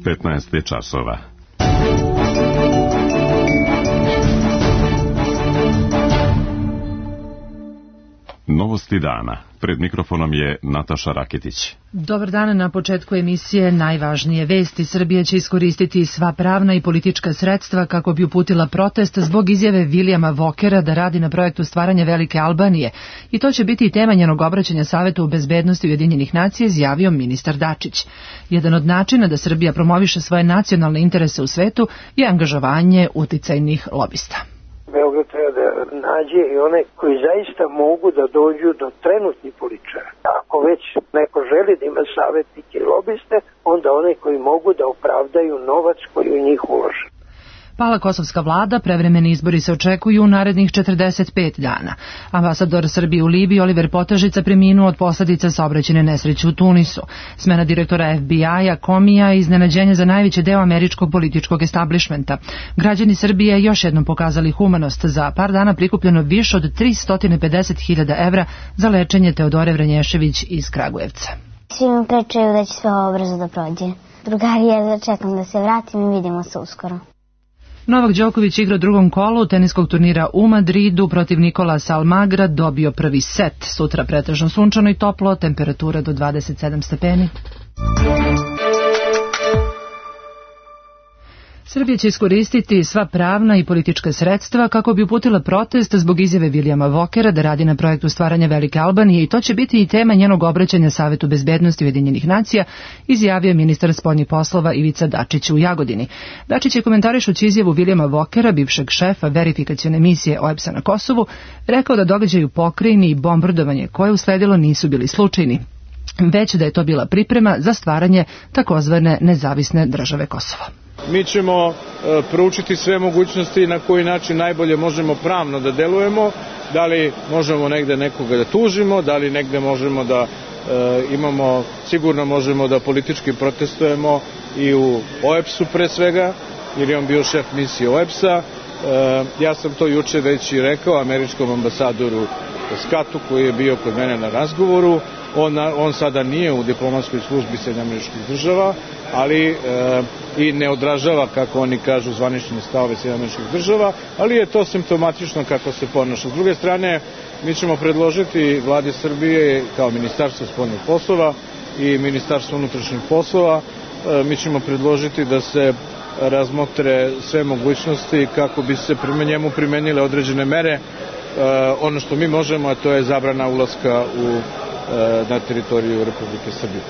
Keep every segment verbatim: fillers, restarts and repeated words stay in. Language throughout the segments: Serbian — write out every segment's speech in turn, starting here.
petnaest je časova. Novosti dana. Pred mikrofonom je Nataša Raketić. Dobar dan, na početku emisije najvažnije vesti. Srbija će iskoristiti sva pravna i politička sredstva kako bi uputila protest zbog izjave Vilijama Vokera da radi na projektu stvaranja Velike Albanije. I to će biti i tema njenog obraćanja Savetu bezbednosti Ujedinjenih nacija, izjavio ministar Dačić. Jedan od načina da Srbija promoviše svoje nacionalne interese u svetu je angažovanje uticajnih lobista. Beograd treba da nađe i one koji zaista mogu da dođu do trenutnih političara. Ako već neko želi da ima savjetnike i lobiste, onda one koji mogu da opravdaju novac koji u njih ulože. Pala kosovska vlada, prevremeni izbori se očekuju u narednih četrdeset pet dana. Ambasador Srbije u Libiji Oliver Potažica preminuo od posledica saobraćajne nesreće u Tunisu. Smena direktora F B I-a Komija i iznenađenje za najveći deo američkog političkog establišmenta. Građani Srbije još jednom pokazali humanost. Za par dana prikupljeno više od tristo pedeset hiljada evra za lečenje Teodore Vranješević iz Kragujevca. Svi mi pričaju da će sve ovo brzo da prođe. Drugari, ja čekam da se vratim i vidimo se uskoro. Novak Đoković igra u drugom kolu teniskog turnira u Madridu protiv Nikolasa Almagra, dobio prvi set. Sutra pretežno sunčano i toplo, temperatura do dvadeset sedam stepeni. Srbija će iskoristiti sva pravna i politička sredstva kako bi uputila protest zbog izjave Vilijama Vokera da radi na projektu stvaranja Velike Albanije i to će biti i tema njenog obraćanja Savetu bezbednosti Ujedinjenih nacija, izjavio ministar spoljnih poslova Ivica Dačić u Jagodini. Dačić je komentarišući izjavu Vilijama Vokera, bivšeg šefa verifikacione misije O E B S-a na Kosovu, rekao da događaj u pokrajini i bombardovanje koje usledilo nisu bili slučajni, već da je to bila priprema za stvaranje takozvane nezavisne države Kosova. Mi ćemo e, proučiti sve mogućnosti na koji način najbolje možemo pravno da delujemo, da li možemo negde nekoga da tužimo, da li negde možemo da e, imamo, sigurno možemo da politički protestujemo i u O E B S-u pre svega, jer je on bio šef misije O E B S-a. E, ja sam to juče već i rekao američkom ambasadoru Skatu koji je bio kod mene na razgovoru. On, on sada nije u diplomatskoj službi Sjedinjenih Američkih Država, ali e, i ne odražava, kako oni kažu, zvanične stavove Sjedinjenih Američkih Država, ali je to simptomatično kako se ponaša. S druge strane, mi ćemo predložiti vladi Srbije kao Ministarstvo spoljnih poslova i Ministarstvo unutrašnjih poslova, e, mi ćemo predložiti da se razmotre sve mogućnosti kako bi se prema njemu primenile određene mere. E, ono što mi možemo, a to je zabrana ulaska u na teritoriju Republike Srbije.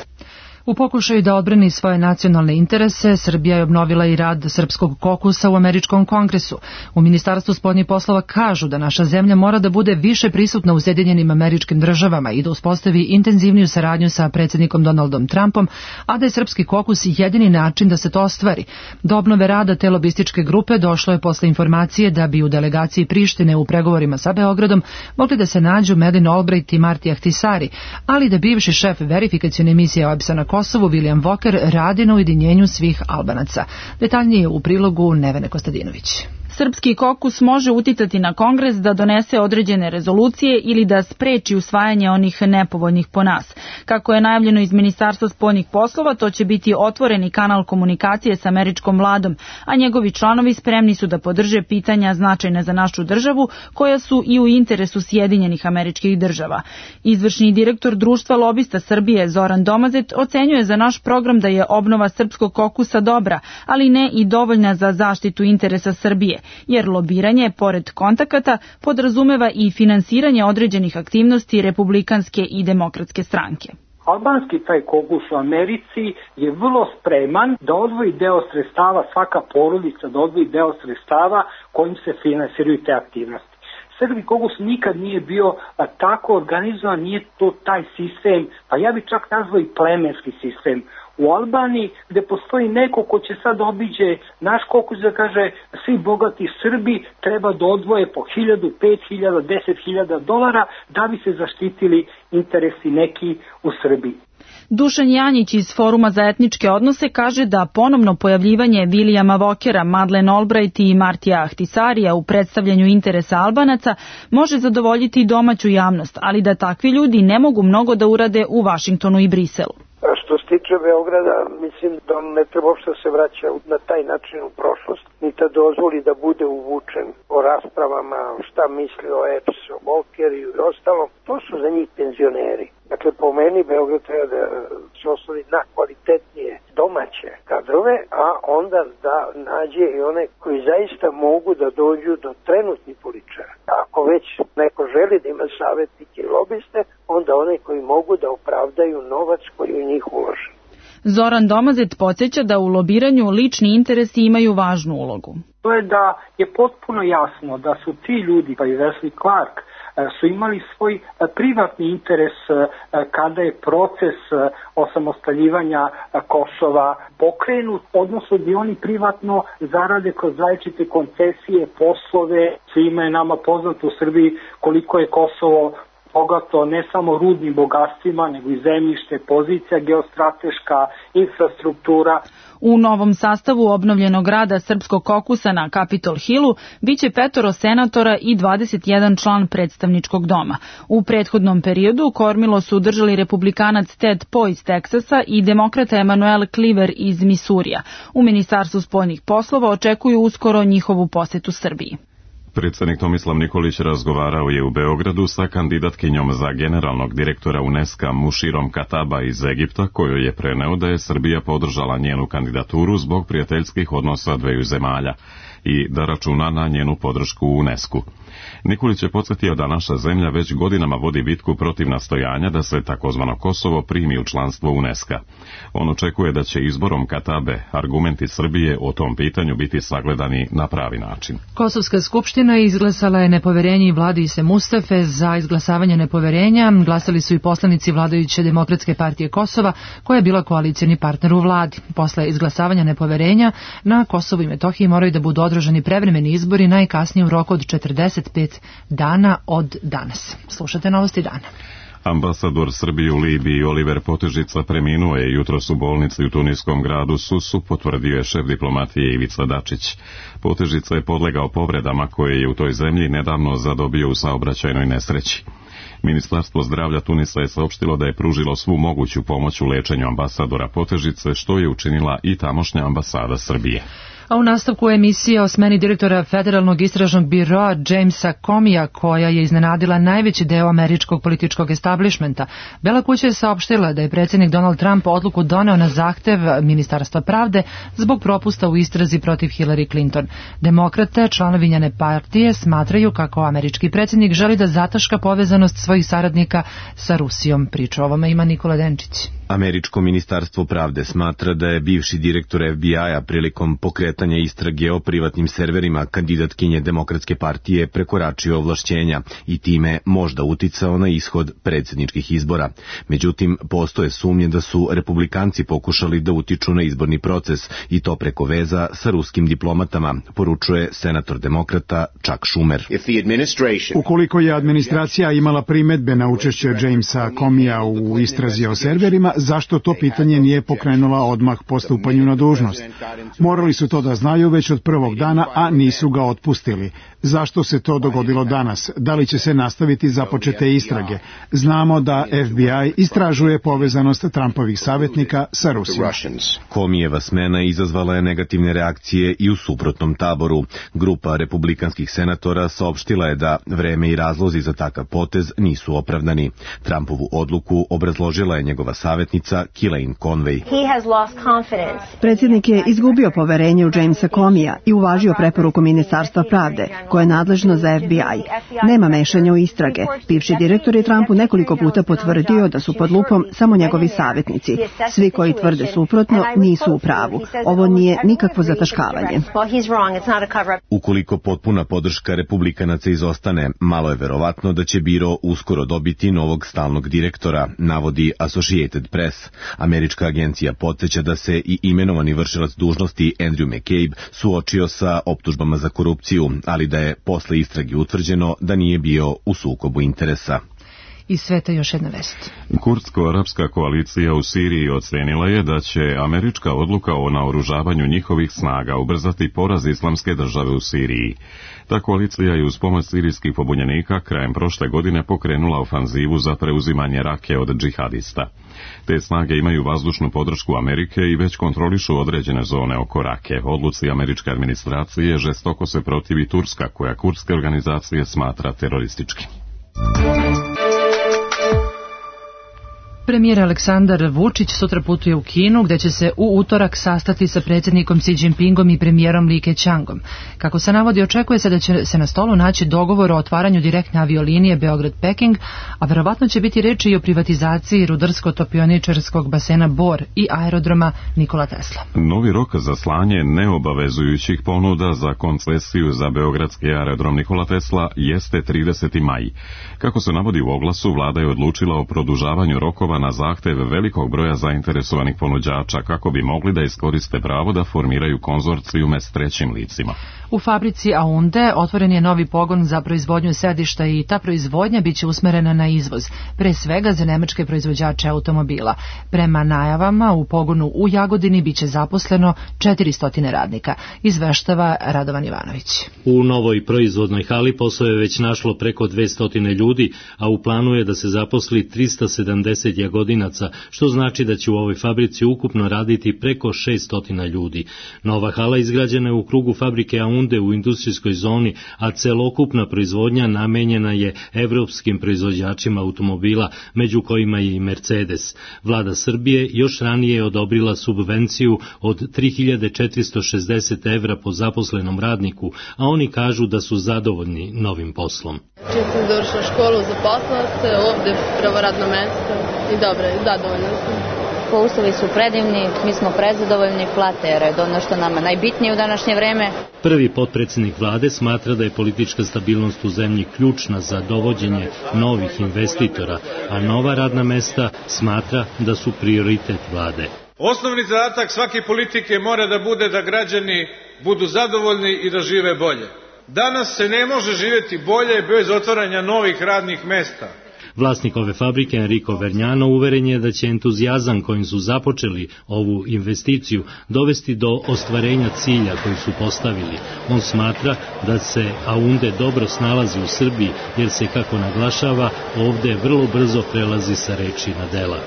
U pokušaju da odbrani svoje nacionalne interese, Srbija je obnovila i rad Srpskog kokusa u američkom kongresu. U Ministarstvu spoljnih poslova kažu da naša zemlja mora da bude više prisutna u Sjedinjenim Američkim Državama i da uspostavi intenzivniju saradnju sa predsjednikom Donaldom Trumpom, a da je Srpski kokus jedini način da se to ostvari. Do obnove rada te lobističke grupe došlo je posle informacije da bi u delegaciji Prištine u pregovorima sa Beogradom mogli da se nađu Madeleine Albright i Marti Ahtisari, ali da bivši šef verifikacione misije O E B S-a na Kosovu William Voker radi na ujedinjenju svih Albanaca. Detaljnije u prilogu Nevene Kostadinović. Srpski kokus može uticati na Kongres da donese određene rezolucije ili da spreči usvajanje onih nepovoljnih po nas. Kako je najavljeno iz Ministarstva spoljnih poslova, to će biti otvoreni kanal komunikacije s američkom vladom, a njegovi članovi spremni su da podrže pitanja značajne za našu državu, koja su i u interesu Sjedinjenih Američkih Država. Izvršni direktor Društva lobista Srbije Zoran Domazet ocenjuje za naš program da je obnova srpskog kokusa dobra, ali ne i dovoljna za zaštitu interesa Srbije, jer lobiranje, pored kontakata, podrazumeva i finansiranje određenih aktivnosti republikanske i demokratske stranke. Albanski taj kokus u Americi je vrlo spreman da odvoji deo sredstava, svaka porodica da odvoji deo sredstava kojim se finansiraju te aktivnosti. Srpski kokus nikad nije bio a, tako organizovan, nije to taj sistem, pa ja bih čak nazvao i plemenski sistem. U Albaniji gde postoji neko ko će sad obiđe naš kokus da kaže svi bogati Srbi treba da odvoje po hiljadu, pet hiljada, deset hiljada dolara da bi se zaštitili interesi neki u Srbiji. Dušan Janjić iz Foruma za etničke odnose kaže da ponovno pojavljivanje Vilijama Vokera, Madeleine Albright i Martija Ahtisarija u predstavljanju interesa Albanaca može zadovoljiti domaću javnost, ali da takvi ljudi ne mogu mnogo da urade u Vašingtonu i Briselu. A što se tiče Beograda, mislim da on ne treba uopšte se vraća na taj način u prošlost, ni da dozvoli da bude uvučen o raspravama, šta misli o E P S, o Volkeriju i ostalom. To su za njih penzioneri. Dakle, po meni Beograd treba da se osnovi na kvalitetnije domaće kadrove, a onda da nađe i one koji zaista mogu da dođu do trenutnih političara. Ako već neko želi da ima savjetnike i lobiste, onda one koji mogu da opravdaju novac koji u njih ulože. Zoran Domazet podsjeća da u lobiranju lični interesi imaju važnu ulogu. To je da je potpuno jasno da su ti ljudi, pa i Wesley Clark, su imali svoj privatni interes kada je proces osamostaljivanja Kosova pokrenut, odnosno gdje oni privatno zarade kroz različite koncesije, poslove. Svima je nama poznato u Srbiji koliko je Kosovo bogato ne samo rudnim bogatstvima, nego i zemljište, pozicija geostrateška, infrastruktura. U novom sastavu obnovljenog rada Srpskog kokusa na Capitol Hillu biće petoro senatora i dvadeset jedan član predstavničkog doma. U prethodnom periodu kormilo su držali republikanac Ted Poe iz Teksasa i demokrata Emanuel Cleaver iz Misurija. U Ministarstvu spoljnih poslova očekuju uskoro njihovu posetu Srbiji. Predsjednik Tomislav Nikolić razgovarao je u Beogradu sa kandidatkinjom za generalnog direktora UNESCO Muširom Kataba iz Egipta, kojoj je preneo da je Srbija podržala njenu kandidaturu zbog prijateljskih odnosa dveju zemalja i da računa na njenu podršku u UNESCO. Nikolić je podsjetio da naša zemlja već godinama vodi bitku protiv nastojanja da se takozvano Kosovo primi u članstvo UNESCO. On očekuje da će izborom Katabe argumenti Srbije o tom pitanju biti sagledani na pravi način. Kosovska skupština izglasala je nepoverenje i vladi Ise Mustafe. Za izglasavanje nepoverenja glasali su i poslanici vladajuće Demokratske partije Kosova, koja je bila koalicioni partner u vladi. Posle izglasavanja nepoverenja na Kosovu i Metohiji moraju da budu održani prevremeni izbori najkasnije u roku od četrdeset pet dana od danas. Slušate Novosti dana. Ambasador Srbije u Libiji Oliver Potežica preminuo je jutros u bolnici u tuniskom gradu Susu, potvrdio je šef diplomatije Ivica Dačić. Potežica je podlegao povredama koje je u toj zemlji nedavno zadobio u saobraćajnoj nesreći. Ministarstvo zdravlja Tunisa je saopštilo da je pružilo svu moguću pomoć u lečenju ambasadora Potežice, što je učinila i tamošnja ambasada Srbije. A u nastavku emisije o smeni direktora Federalnog istražnog biroa Jamesa Comeyja, koja je iznenadila najveći deo američkog političkog establishmenta, Bela kuća je saopštila da je predsjednik Donald Trump odluku doneo na zahtev Ministarstva pravde zbog propusta u istrazi protiv Hillary Clinton. Demokrate, članovi njene partije, smatraju kako američki predsjednik želi da zataška povezanost svojih saradnika sa Rusijom. Priču o ovome ima Nikola Denčić. Američko ministarstvo pravde smatra da je bivši direktor F B I-a prilikom pokretanja istrage o privatnim serverima kandidatkinje Demokratske partije prekoračio ovlašćenja i time možda uticao na ishod predsjedničkih izbora. Međutim, postoje sumnje da su republikanci pokušali da utiču na izborni proces i to preko veza sa ruskim diplomatama, poručuje senator demokrata Chuck Schumer. Ukoliko je administracija imala primedbe na učešće Jamesa Comeyja u istrazi o serverima, zašto to pitanje nije pokrenula odmah po stupanju na dužnost? Morali su to da znaju već od prvog dana, a nisu ga otpustili. Zašto se to dogodilo danas? Da li će se nastaviti započete istrage? Znamo da F B I istražuje povezanost Trumpovih savjetnika sa Rusijom. Comeyjeva smena izazvala je negativne reakcije i u suprotnom taboru. Grupa republikanskih senatora saopštila je da vreme i razlozi za takav potez nisu opravdani. Trumpovu odluku obrazložila je njegova savjetnica Kellyanne Conway. Predsjednik je izgubio poverenje u Jamesa Comeyja i uvažio preporuku Ministarstva pravde, koje je nadležno za F B I. Nema mešanja u istrage. Bivši direktor je Trumpu nekoliko puta potvrdio da su pod lupom samo njegovi savjetnici. Svi koji tvrde suprotno nisu u pravu. Ovo nije nikakvo zataškavanje. Ukoliko potpuna podrška republikanaca izostane, malo je verovatno da će biro uskoro dobiti novog stalnog direktora, navodi Associated Press. Američka agencija podsjeća da se i imenovani vršilac dužnosti Andrew McCabe suočio sa optužbama za korupciju, ali da je posle istrage utvrđeno da nije bio u sukobu interesa. Iz sveta još jedna vest. Kurdsko-arapska koalicija u Siriji ocenila je da će američka odluka o naoružavanju njihovih snaga ubrzati poraz islamske države u Siriji. Ta koalicija je uz pomoć sirijskih pobunjenika krajem prošle godine pokrenula ofanzivu za preuzimanje Rake od džihadista. Te snage imaju vazdušnu podršku Amerike i već kontrolišu određene zone oko Rake. Odluci američke administracije žestoko se protivi Turska, koja kurdske organizacije smatra terorističkim. Premijer Aleksandar Vučić sutra putuje u Kinu, gde će se u utorak sastati sa predsjednikom Xi Jinpingom i premijerom Li Keqiangom. Kako se navodi, očekuje se da će se na stolu naći dogovor o otvaranju direktne aviolinije Beograd-Peking, a verovatno će biti reči i o privatizaciji rudarsko-topioničarskog basena Bor i aerodroma Nikola Tesla. Novi rok za slanje neobavezujućih ponuda za koncesiju za beogradski aerodrom Nikola Tesla jeste trideseti maj. Kako se navodi u oglasu, vlada je odlučila o produžavanju rokova na zahtev velikog broja zainteresovanih ponuđača kako bi mogli da iskoriste pravo da formiraju konzorcijume s trećim licima. U fabrici Aunde otvoren je novi pogon za proizvodnju sedišta i ta proizvodnja biće usmerena na izvoz, pre svega za nemačke proizvođače automobila. Prema najavama u pogonu u Jagodini biće zaposleno četiristo radnika, izveštava Radovan Ivanović. U novoj proizvodnoj hali posao je već našlo preko dvesta ljudi, a u planu je da se zaposli trista sedamdeset Jagodinaca, što znači da će u ovoj fabrici ukupno raditi preko šesto ljudi. Nova hala izgrađena je u krugu fabrike Aunde u industrijskoj zoni, a celokupna proizvodnja namenjena je evropskim proizvođačima automobila, među kojima je i Mercedes. Vlada Srbije još ranije je odobrila subvenciju od tri hiljade četiristo šezdeset evra po zaposlenom radniku, a oni kažu da su zadovoljni novim poslom. Čim sam završila školu, zaposlila se, ovde prvo radno mesto i dobro, zadovoljna sam. Uslovi su predivni, mi smo prezadovoljni, plate je redovno što nama najbitnije u današnje vreme. Prvi potpredsjednik vlade smatra da je politička stabilnost u zemlji ključna za dovođenje novih investitora, a nova radna mesta smatra da su prioritet vlade. Osnovni zadatak svake politike mora da bude da građani budu zadovoljni i da žive bolje. Danas se ne može živjeti bolje bez otvaranja novih radnih mesta. Vlasnik ove fabrike Enrico Vergnano uveren je da će entuzijazam kojim su započeli ovu investiciju dovesti do ostvarenja cilja koji su postavili. On smatra da se Aunde dobro snalazi u Srbiji jer se, kako naglašava, ovde vrlo brzo prelazi sa reči na dela.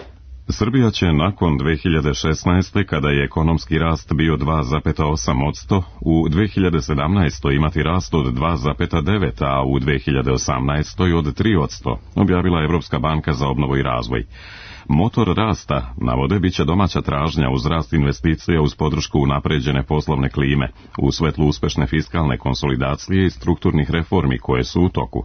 Srbija će nakon dve hiljade šesnaeste. kada je ekonomski rast bio dva zarez osam posto, u dve hiljade sedamnaestoj. imati rast od dva zarez devet, a u dve hiljade osamnaestoj. od tri posto, objavila Evropska banka za obnovu i razvoj. Motor rasta, navode, biće domaća tražnja uz rast investicija uz podršku unapređene poslovne klime, u svetlu uspešne fiskalne konsolidacije i strukturnih reformi koje su u toku.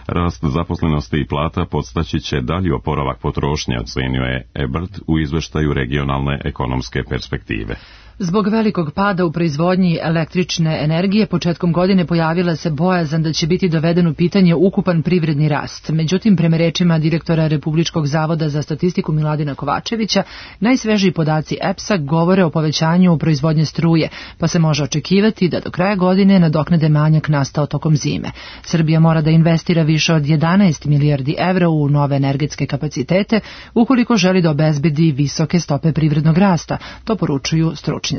Rast zaposlenosti i plata podstaći će dalji oporavak potrošnje, ocenio je Ebert u izveštaju regionalne ekonomske perspektive. Zbog velikog pada u proizvodnji električne energije početkom godine pojavila se bojazan da će biti doveden u pitanje ukupan privredni rast. Međutim, prema rečima direktora Republičkog zavoda za statistiku Miladina Kovačevića, najsvežiji podaci E P S-a govore o povećanju proizvodnje struje, pa se može očekivati da do kraja godine nadoknade manjak nastao tokom zime. Srbija mora da investira više od jedanaest milijardi evra u nove energetske kapacitete ukoliko želi da obezbedi visoke stope privrednog rasta, to poručuju stručnjaci.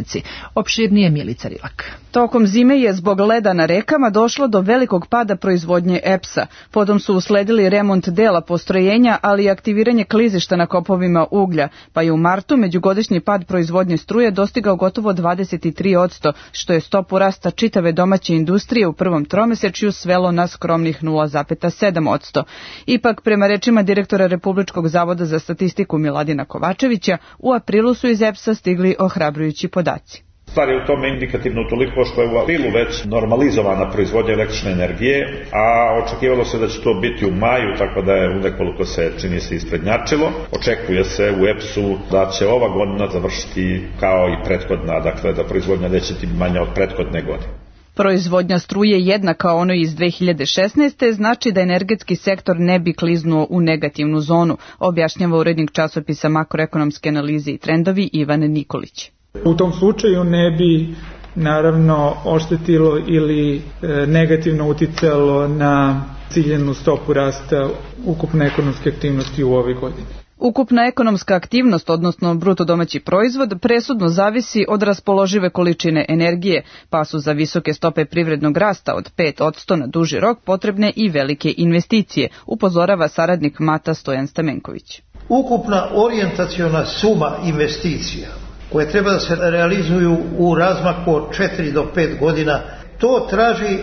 Opširnije Milica Rilak. Tokom zime je zbog leda na rekama došlo do velikog pada proizvodnje E P S-a. Potom su usledili remont dela postrojenja, ali i aktiviranje klizišta na kopovima uglja, pa je u martu međugodišnji pad proizvodnje struje dostigao gotovo dvadeset tri posto, što je stopu rasta čitave domaće industrije u prvom tromesečju svelo na skromnih nula zarez sedam posto. Ipak, prema rečima direktora Republičkog zavoda za statistiku Miladina Kovačevića, u aprilu su iz E P S-a stigli ohrabrujući podaci. Stvar je u tome indikativno toliko što je u aprilu već normalizovana proizvodnja električne energije, a očekivalo se da će to biti u maju, tako da je nekoliko se čini se isprednjačilo. Očekuje se u E P S-u da će ova godina završiti kao i prethodna, dakle da proizvodnja neće biti manja od prethodne godine. Proizvodnja struje jednaka onoj iz dve hiljade šesnaeste. znači da energetski sektor ne bi kliznuo u negativnu zonu, objašnjava urednik časopisa Makroekonomske analize i trendovi Ivan Nikolić. U tom slučaju ne bi naravno oštetilo ili e, negativno uticalo na ciljenu stopu rasta ukupne ekonomske aktivnosti u ovoj godini. Ukupna ekonomska aktivnost, odnosno bruto domaći proizvod, presudno zavisi od raspoložive količine energije, pa su za visoke stope privrednog rasta od pet posto na duži rok potrebne i velike investicije, upozorava saradnik Mata Stojan Stamenković. Ukupna orijentaciona suma investicija koje treba da se realizuju u razmaku od četiri do pet godina, to traži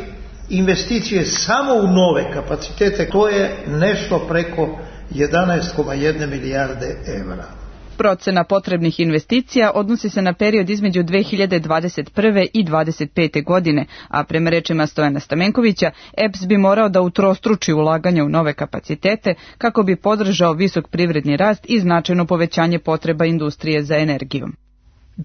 investicije samo u nove kapacitete, to je nešto preko jedanaest zarez jedna milijarde evra. Procena potrebnih investicija odnosi se na period između dve hiljade dvadeset prve i dvadeset pete godine, a prema rečima Stojana Stamenkovića, E P S bi morao da utrostruči ulaganja u nove kapacitete kako bi podržao visok privredni rast i značajno povećanje potreba industrije za energijom.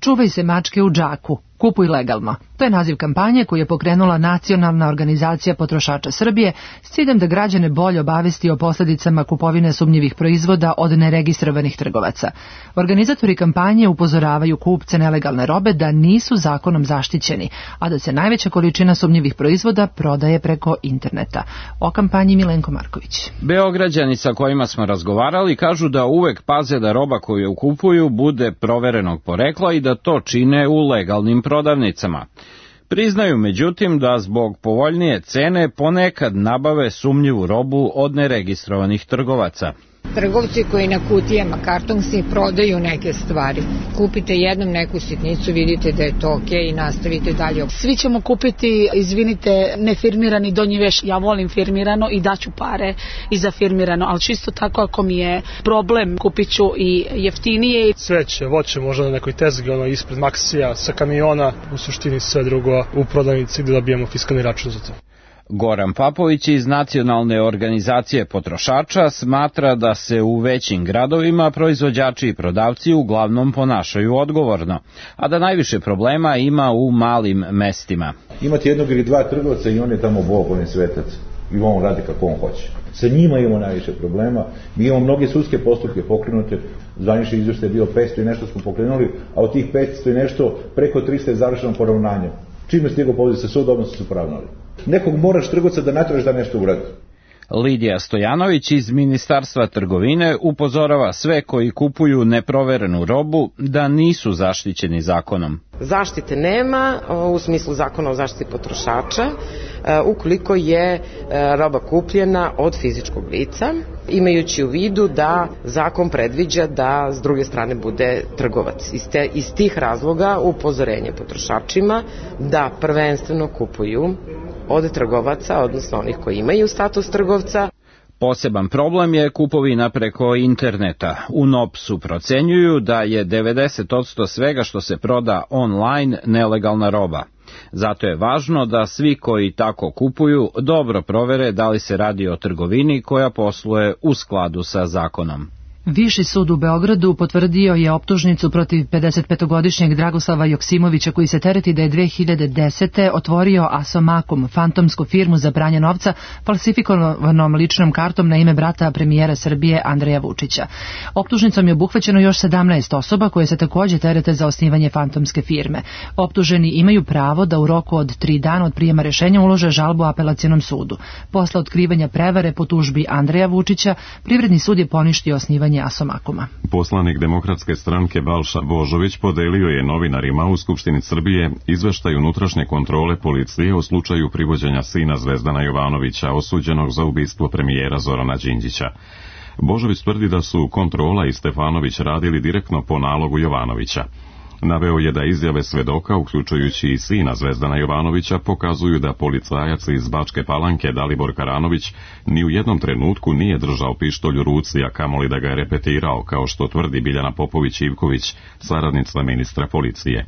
Čuvaj se mačke u džaku. Kupuj legalno. To je naziv kampanje koju je pokrenula Nacionalna organizacija potrošača Srbije s ciljem da građane bolje obavesti o posljedicama kupovine sumnjivih proizvoda od neregistrovanih trgovaca. Organizatori kampanje upozoravaju kupce nelegalne robe da nisu zakonom zaštićeni, a da se najveća količina sumnjivih proizvoda prodaje preko interneta. O kampanji Milenko Marković. Beograđani sa kojima smo razgovarali kažu da uvek paze da roba koju kupuju bude proverenog porekla i da to čine u legalnim prodavnicama. Priznaju međutim da zbog povoljnije cene ponekad nabave sumnjivu robu od neregistrovanih trgovaca. Trgovci koji na kutijama kartonski prodaju neke stvari. Kupite jednom neku sitnicu, vidite da je to ok i nastavite dalje. Svi ćemo kupiti, izvinite, nefirmirani donji veš. Ja volim firmirano i daću pare i za firmirano, ali čisto tako ako mi je problem, kupit ću i jeftinije. Sveće, voće možda na nekoj tezgi, ono ispred Maksija, sa kamiona, u suštini sve drugo u prodavnici gdje dobijemo fiskalni račun za to. Goran Papović iz Nacionalne organizacije potrošača smatra da se u većim gradovima proizvođači i prodavci uglavnom ponašaju odgovorno, a da najviše problema ima u malim mestima. Imate jednog ili dva trgovca i on je tamo Bog, on je svetac i on radi kako on hoće. Sa njima imamo najviše problema, mi imamo mnoge sudske postupke pokrenute, zvanični izvještaj je bio petsto i nešto smo pokrenuli, a od tih petsto i nešto preko trista je završeno poravnanjem. Čime stigao poziv sa sud, odnosno su poravnali. Nekog moraš trgovca da natražiš da nešto uradi. Lidija Stojanović iz Ministarstva trgovine upozorava sve koji kupuju neproverenu robu da nisu zaštićeni zakonom. Zaštite nema u smislu zakona o zaštiti potrošača ukoliko je roba kupljena od fizičkog lica, imajući u vidu da zakon predviđa da s druge strane bude trgovac. Iz, te, iz tih razloga upozorenje potrošačima da prvenstveno kupuju od trgovaca, odnosno onih koji imaju status trgovca. Poseban problem je kupovina preko interneta. U N O P S-u procenjuju da je devedeset posto svega što se proda online nelegalna roba. Zato je važno da svi koji tako kupuju dobro provere da li se radi o trgovini koja posluje u skladu sa zakonom. Viši sud u Beogradu potvrdio je optužnicu protiv pedesetpetogodišnjeg Dragoslava Joksimovića koji se tereti da je dve hiljade desete. otvorio Asomakum, fantomsku firmu za pranje novca, falsifikovanom ličnom kartom na ime brata premijera Srbije Andreja Vučića. Optužnicom je obuhvaćeno još sedamnaest osoba koje se također terete za osnivanje fantomske firme. Optuženi imaju pravo da u roku od tri dana od prijema rešenja ulože žalbu apelacionom sudu. Posle otkrivanja prevare po tužbi Andreja Vučića, Privredni sud je poništio osnivanje Asomakuma. Poslanik Demokratske stranke Balša Božović podelio je novinarima u Skupštini Srbije izveštaj unutrašnje kontrole policije o slučaju privođenja sina Zvezdana Jovanovića, osuđenog za ubistvo premijera Zorana Đinđića. Božović tvrdi da su kontrola i Stefanović radili direktno po nalogu Jovanovića. Naveo je da izjave svedoka, uključujući i sina Zvezdana Jovanovića, pokazuju da policajac iz Bačke Palanke Dalibor Karanović ni u jednom trenutku nije držao pištolj u ruci, a kamoli da ga je repetirao, kao što tvrdi Biljana Popović-Ivković, saradnica ministra policije.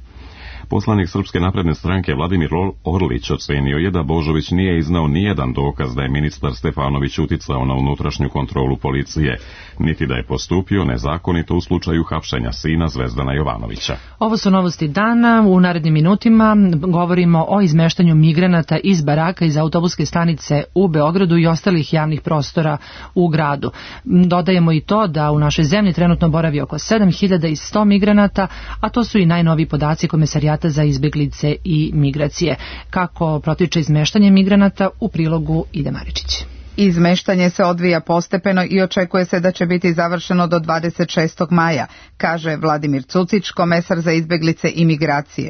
Poslanik Srpske napredne stranke Vladimir Orlić ocenio je da Božović nije iznao nijedan dokaz da je ministar Stefanović uticao na unutrašnju kontrolu policije, niti da je postupio nezakonito u slučaju hapšenja sina Zvezdana Jovanovića. Ovo su novosti dana. U narednim minutima govorimo o izmeštanju migranata iz baraka iz autobuske stanice u Beogradu i ostalih javnih prostora u gradu. Dodajemo i to da u našoj zemlji trenutno boravi oko sedam hiljada sto migranata, a to su i najnoviji podaci Komesarijata za izbjeglice i migracije. Kako protiče izmeštanje migranata, u prilogu Ide Maričić. Izmeštanje se odvija postepeno i očekuje se da će biti završeno do dvadeset šestog maja, kaže Vladimir Cucić, komesar za izbeglice i migracije.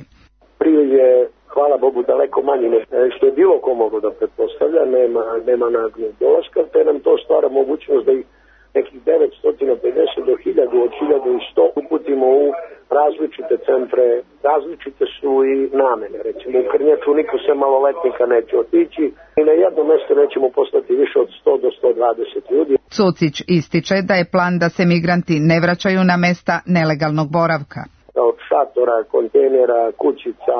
Prije je, hvala Bogu, daleko manje što je bilo ko moglo da pretpostavlja, nema, nema naglog dolaska, te nam to stvara mogućnost da ih nekih devetsto pedeset do hiljadu, od hiljadu i sto uputimo u različite centre, različite su i namene. Recimo u Krnjaču niko se maloletnika neće otići i na jedno mesto nećemo poslati više od sto do sto dvadeset ljudi. Cucić ističe da je plan da se migranti ne vraćaju na mesta nelegalnog boravka. Od šatora, kontejnera, kućica,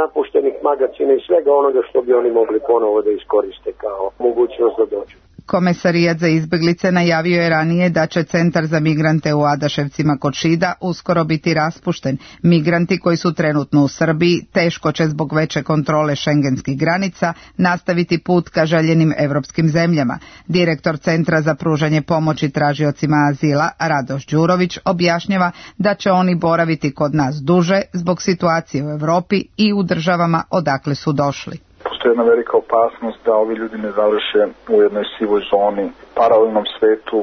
napuštenih magacina i svega onoga što bi oni mogli ponovo da iskoriste kao mogućnost da dođu. Komesarijat za izbeglice najavio je ranije da će centar za migrante u Adaševcima kod Šida uskoro biti raspušten. Migranti koji su trenutno u Srbiji teško će zbog veće kontrole šengenskih granica nastaviti put ka željenim evropskim zemljama. Direktor Centra za pružanje pomoći tražiocima azila Radoš Đurović objašnjava da će oni boraviti kod nas duže zbog situacije u Evropi i u državama odakle su došli. Postoji jedna velika opasnost da ovi ljudi ne završe u jednoj sivoj zoni, paralelnom svetu,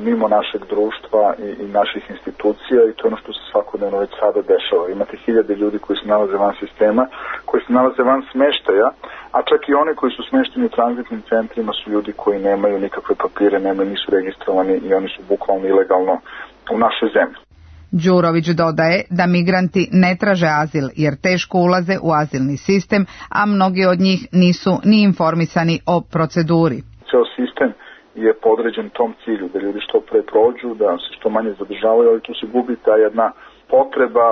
mimo našeg društva i, i naših institucija, i to je ono što se svakodnevno već sada dešava. Imate hiljade ljudi koji se nalaze van sistema, koji se nalaze van smeštaja, a čak i oni koji su smešteni u tranzitnim centrima su ljudi koji nemaju nikakve papire, nemaju, nisu registrovani i oni su bukvalno ilegalno u našoj zemlji. Đurović dodaje da migranti ne traže azil jer teško ulaze u azilni sistem, a mnogi od njih nisu ni informisani o proceduri. Ceo sistem je podređen tom cilju, da ljudi što pre prođu, da se što manje zadržavaju, ali tu se gubi ta jedna potreba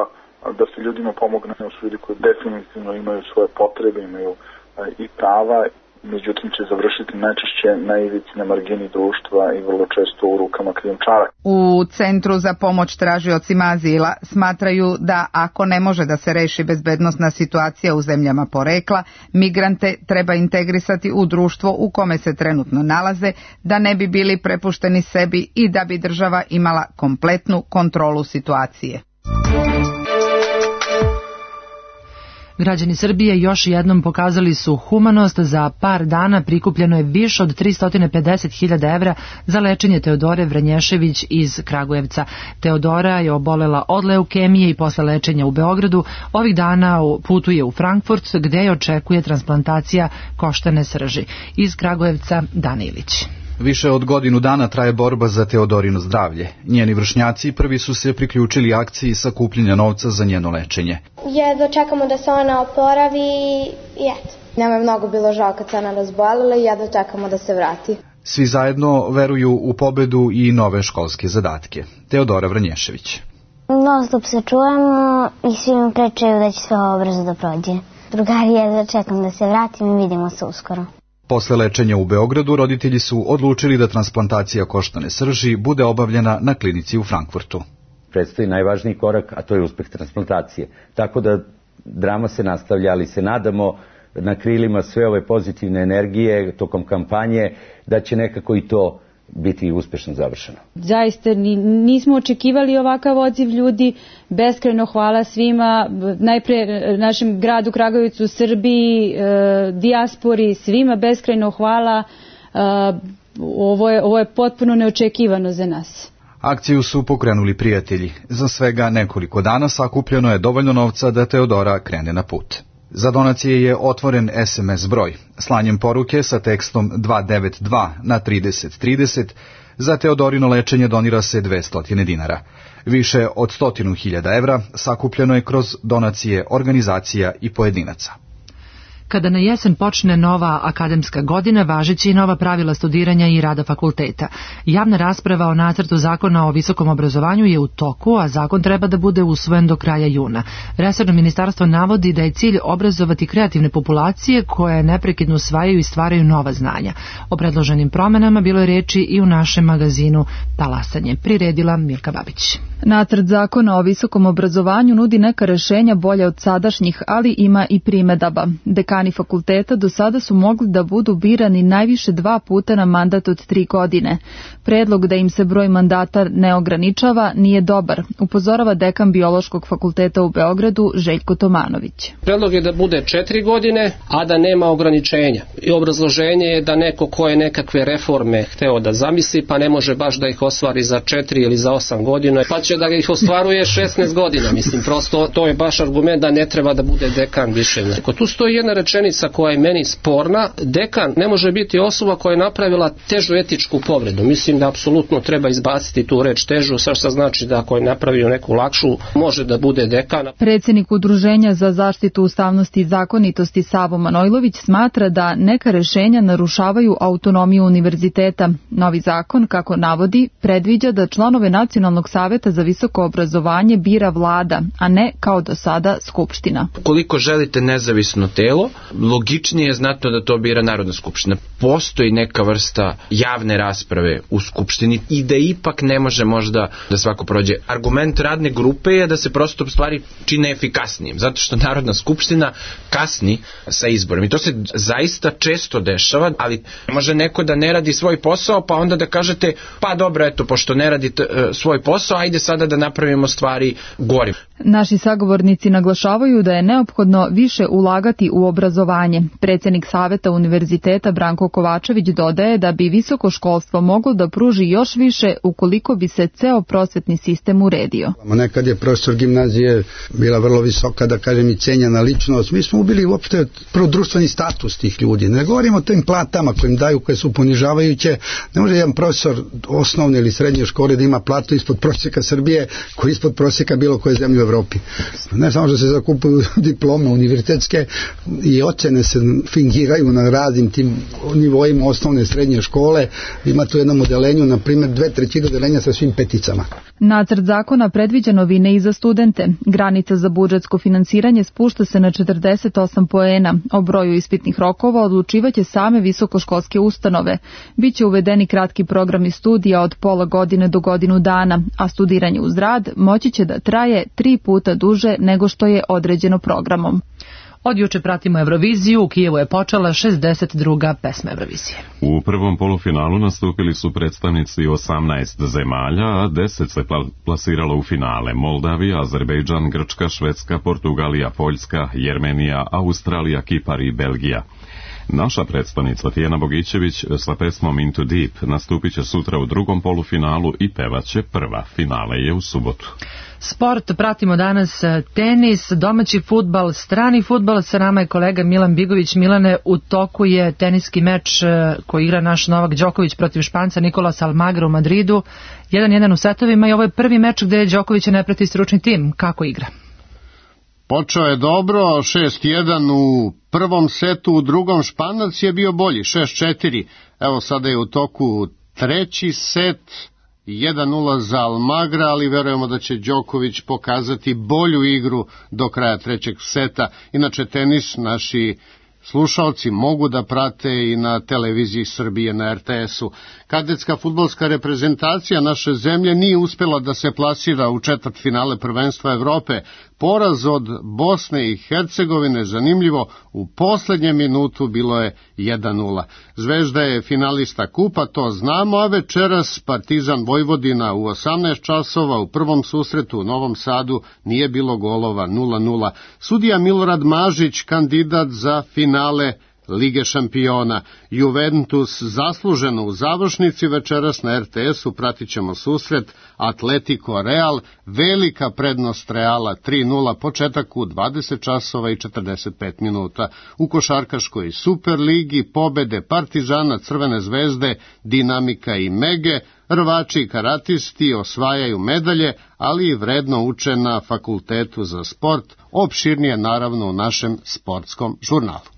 da se ljudima pomogne, su ljudi koji definitivno imaju svoje potrebe, imaju i prava, međutim će završiti najčešće na ivici, na margini društva i vrlo često u rukama krijumčara. U Centru za pomoć tražiocima azila smatraju da ako ne može da se reši bezbednosna situacija u zemljama porekla, migrante treba integrisati u društvo u kome se trenutno nalaze, da ne bi bili prepušteni sebi i da bi država imala kompletnu kontrolu situacije. Građani Srbije još jednom pokazali su humanost. Za par dana prikupljeno je više od tristo pedeset hiljada evra za lečenje Teodore Vranješević iz Kragujevca. Teodora je obolela od leukemije i posle lečenja u Beogradu ovih dana putuje u Frankfurt gde je očekuje transplantacija koštane srži. Iz Kragujevca Dana Ilić. Više od godinu dana traje borba za Teodorino zdravlje. Njeni vršnjaci prvi su se priključili akciji sakupljenja novca za njeno lečenje. Jedva čekamo da se ona oporavi i eto. Nama je mnogo bilo žao kad se ona razbolila i jedva čekamo da se vrati. Svi zajedno veruju u pobedu i nove školske zadatke. Teodora Vranješević. Non stop se čujemo i svi mi pričaju da će sve ovo brzo da prođe. Drugari, jedva čekam da se vratim i vidimo se uskoro. Posle lečenja u Beogradu, roditelji su odlučili da transplantacija koštane srži bude obavljena na klinici u Frankfurtu. Predstoji najvažniji korak, a to je uspeh transplantacije. Tako da drama se nastavlja, ali se nadamo na krilima sve ove pozitivne energije tokom kampanje da će nekako i to biti uspešno završeno. Zaista nismo očekivali ovakav odziv ljudi. Beskrajno hvala svima, najpre našem gradu Kragujevcu, Srbiji, dijaspori, svima beskrajno hvala. Ovo je, ovo je potpuno neočekivano za nas. Akciju su pokrenuli prijatelji. Za svega nekoliko dana sakupljeno je dovoljno novca da Teodora krene na put. Za donacije je otvoren es em es broj. Slanjem poruke sa tekstom dva devet dva na trideset trideset za Teodorino lečenje donira se dvesta dinara. Više od stotinu hiljada evra sakupljeno je kroz donacije organizacija i pojedinaca. Kada na jesen počne nova akademska godina, važeći i nova pravila studiranja i rada fakulteta. Javna rasprava o nacrtu zakona o visokom obrazovanju je u toku, a zakon treba da bude usvojen do kraja juna. Resorno ministarstvo navodi da je cilj obrazovati kreativne populacije koje neprekidno usvajaju i stvaraju nova znanja. O predloženim promenama bilo je reči i u našem magazinu Talasanje. Priredila Milka Babić. Nacrt zakona o visokom obrazovanju nudi neka rešenja bolja od sadašnjih, ali ima i primedaba. Dekani fakulteta do sada su mogli da budu birani najviše dva puta na mandat od tri godine. Predlog da im se broj mandata ne ograničava nije dobar, upozorava dekan Biološkog fakulteta u Beogradu Željko Tomanović. Predlog je da bude četiri godine, a da nema ograničenja. I obrazloženje je da neko ko je nekakve reforme hteo da zamisli, pa ne može baš da ih ostvari za četiri ili za osam godina, pa će da ih ostvaruje šesnaest godina. Mislim, prosto to je baš argument da ne treba da bude dekan više. Tu stoji jedna rečenica koja je meni sporna. Dekan ne može biti osoba koja je napravila težu etičku povredu. Mislim da apsolutno treba izbaciti tu reč težu, sve što znači da ako je napravio neku lakšu, može da bude dekan. Predsjednik Udruženja za zaštitu ustavnosti i zakonitosti Savo Manojlović smatra da neka rešenja narušavaju autonomiju univerziteta. Novi zakon, kako navodi, predviđa da članove Nacionalnog saveta za visoko obrazovanje bira vlada, a ne kao do sada Skupština. Koliko želite nezavisno telo, logičnije je znatno da to bira Narodna skupština. Postoji neka vrsta javne rasprave u Skupštini i da ipak ne može možda da svako prođe. Argument radne grupe je da se prosto stvari čine efikasnijim, zato što Narodna skupština kasni sa izborom. I to se zaista često dešava, ali može neko da ne radi svoj posao, pa onda da kažete, pa dobro, eto, pošto ne radi t- svoj posao, ajde sada da napravimo stvari gorim. Naši sagovornici naglašavaju da je neophodno više ulagati u obrazovanje. Predsjednik Saveta univerziteta Branko Kovačević dodaje da bi visoko školstvo moglo da pruži još više ukoliko bi se ceo prosvetni sistem uredio. Nekad je profesor gimnazije bila vrlo visoka, da kažem, i cenjena ličnost. Mi smo ubili uopšte prvo društveni status tih ljudi. Ne govorimo o tim platama koje im daju, koje su ponižavajuće. Ne može jedan profesor osnovne ili srednje škole da ima platu ispod prosjeka Srbije, koji je ispod prosjeka bilo koje zemlje u Evropi. Ne samo što se zakupuju diplome univerzitetske i ocene se fingiraju na raznim tim nivoima osnovne srednje škole. Ima tu jednom odelenju, na primjer, dve trećine odelenja sa svim peticama. Nacrt zakona predviđa novine i za studente. Granica za budžetsko finansiranje spušta se na četrdeset osam poena. O broju ispitnih rokova odlučivaće same visokoškolske ustanove. Biće uvedeni kratki programi studija od pola godine do godinu dana, a studiranje uz rad moći će da traje tri puta duže nego što je određeno programom. Od juče pratimo Euroviziju, u Kijevu je počela šezdeset druga pesma Eurovizije. U prvom polufinalu nastupili su predstavnici osamnaest zemalja, a deset se plasiralo u finale: Moldavija, Azerbejdžan, Grčka, Švedska, Portugalija, Poljska, Jermenija, Australija, Kipar i Belgija. Naša predstavnica Tijana Bogićević sa pesmom Into Deep nastupit će sutra u drugom polufinalu i pevaće prva. Finale je u subotu. Sport, pratimo danas tenis, domaći fudbal, strani fudbal. Sa nama je kolega Milan Bigović. Milane, u toku je teniski meč koji igra naš Novak Đoković protiv Španca Nikolasa Almagra u Madridu. jedan jedan u setovima i ovo je prvi meč gde Đokovića ne prati stručni tim. Kako igra? Počeo je dobro, šest jedan u prvom setu, u drugom Španac je bio bolji, šest četiri. Evo sada je u toku treći set, jedan nula za Almagra, ali verujemo da će Đoković pokazati bolju igru do kraja trećeg seta. Inače, tenis naši slušalci mogu da prate i na televiziji Srbije na er te esu. Kadetska fudbalska reprezentacija naše zemlje nije uspjela da se plasira u četvrtfinale prvenstva Evrope. Poraz od Bosne i Hercegovine, zanimljivo, u poslednjem minutu bilo je jedan nula. Zvezda je finalista kupa, to znamo, a večeras Partizan Vojvodina u osamnaest časova u prvom susretu u Novom Sadu nije bilo golova, nula nula. Sudija Milorad Mažić, kandidat za finale Lige šampiona. Juventus zasluženo u završnici, večeras na er te esu pratit ćemo susret Atletico Real, velika prednost Reala tri nula, početak u dvadeset časova i četrdeset pet minuta. U košarkaškoj Superligi pobede Partizana, Crvene zvezde, Dinamika i Mege, rvači i karatisti osvajaju medalje, ali i vredno uče na Fakultetu za sport, opširnije naravno u našem sportskom žurnalu.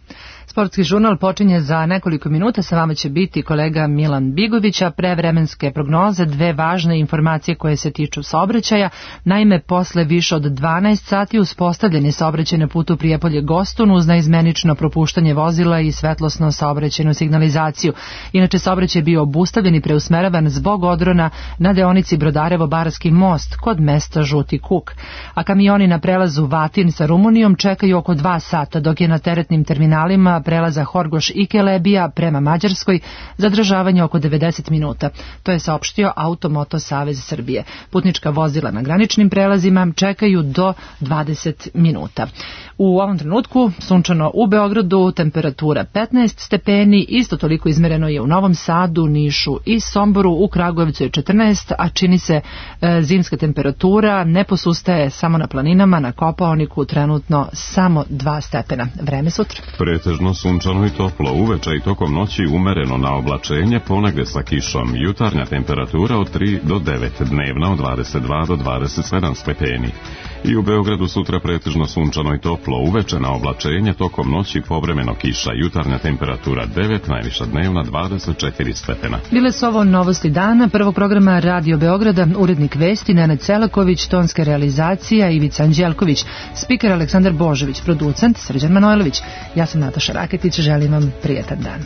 Sportski žurnal počinje za nekoliko minuta, sa vama će biti kolega Milan Bigović, a pre vremenske prognoze dve važne informacije koje se tiču saobraćaja. Naime, posle više od dvanaest sati uspostavljen je saobraćaj na putu Prijepolje-Gostun uz naizmenično propuštanje vozila i svetlosno saobraćajnu signalizaciju. Inače, saobraćaj je bio obustavljen i preusmeravan zbog odrona na deonici Brodarevo-Barski most kod mesta Žuti Kuk. A kamioni na prelazu Vatin sa Rumunijom čekaju oko dva sata, dok je na teretnim terminalima prelaza Horgoš i Kelebija prema Mađarskoj zadržavanje oko devedeset minuta. To je saopštio Automoto Savez Srbije. Putnička vozila na graničnim prelazima čekaju do dvadeset minuta. U ovom trenutku sunčano u Beogradu, temperatura petnaest stepeni, isto toliko izmereno je u Novom Sadu, Nišu i Somboru, u Kragujevcu je četrnaest, a čini se e, zimska temperatura ne posustaje samo na planinama, na Kopaoniku trenutno samo dva stepena. Vreme sutra. Pretežno sunčano i toplo, uveče i tokom noći umereno na oblačenje, ponegde sa kišom. Jutarnja temperatura od tri do devet, dnevna od dvadeset dva do dvadeset sedam stepeni. I u Beogradu sutra pretežno sunčano i toplo, uveče na oblačenje, tokom noći povremeno kiša, jutarnja temperatura devet, najviša dnevna dvadeset četiri stepena. Bile su ovo novosti dana, prvog programa Radio Beograda, urednik vesti Nenad Celaković, tonska realizacija Ivica Anđelković, spiker Aleksandar Božović, producent Srđan Manojlović. Ja sam Nataša Raketić, želim vam prijetan dan.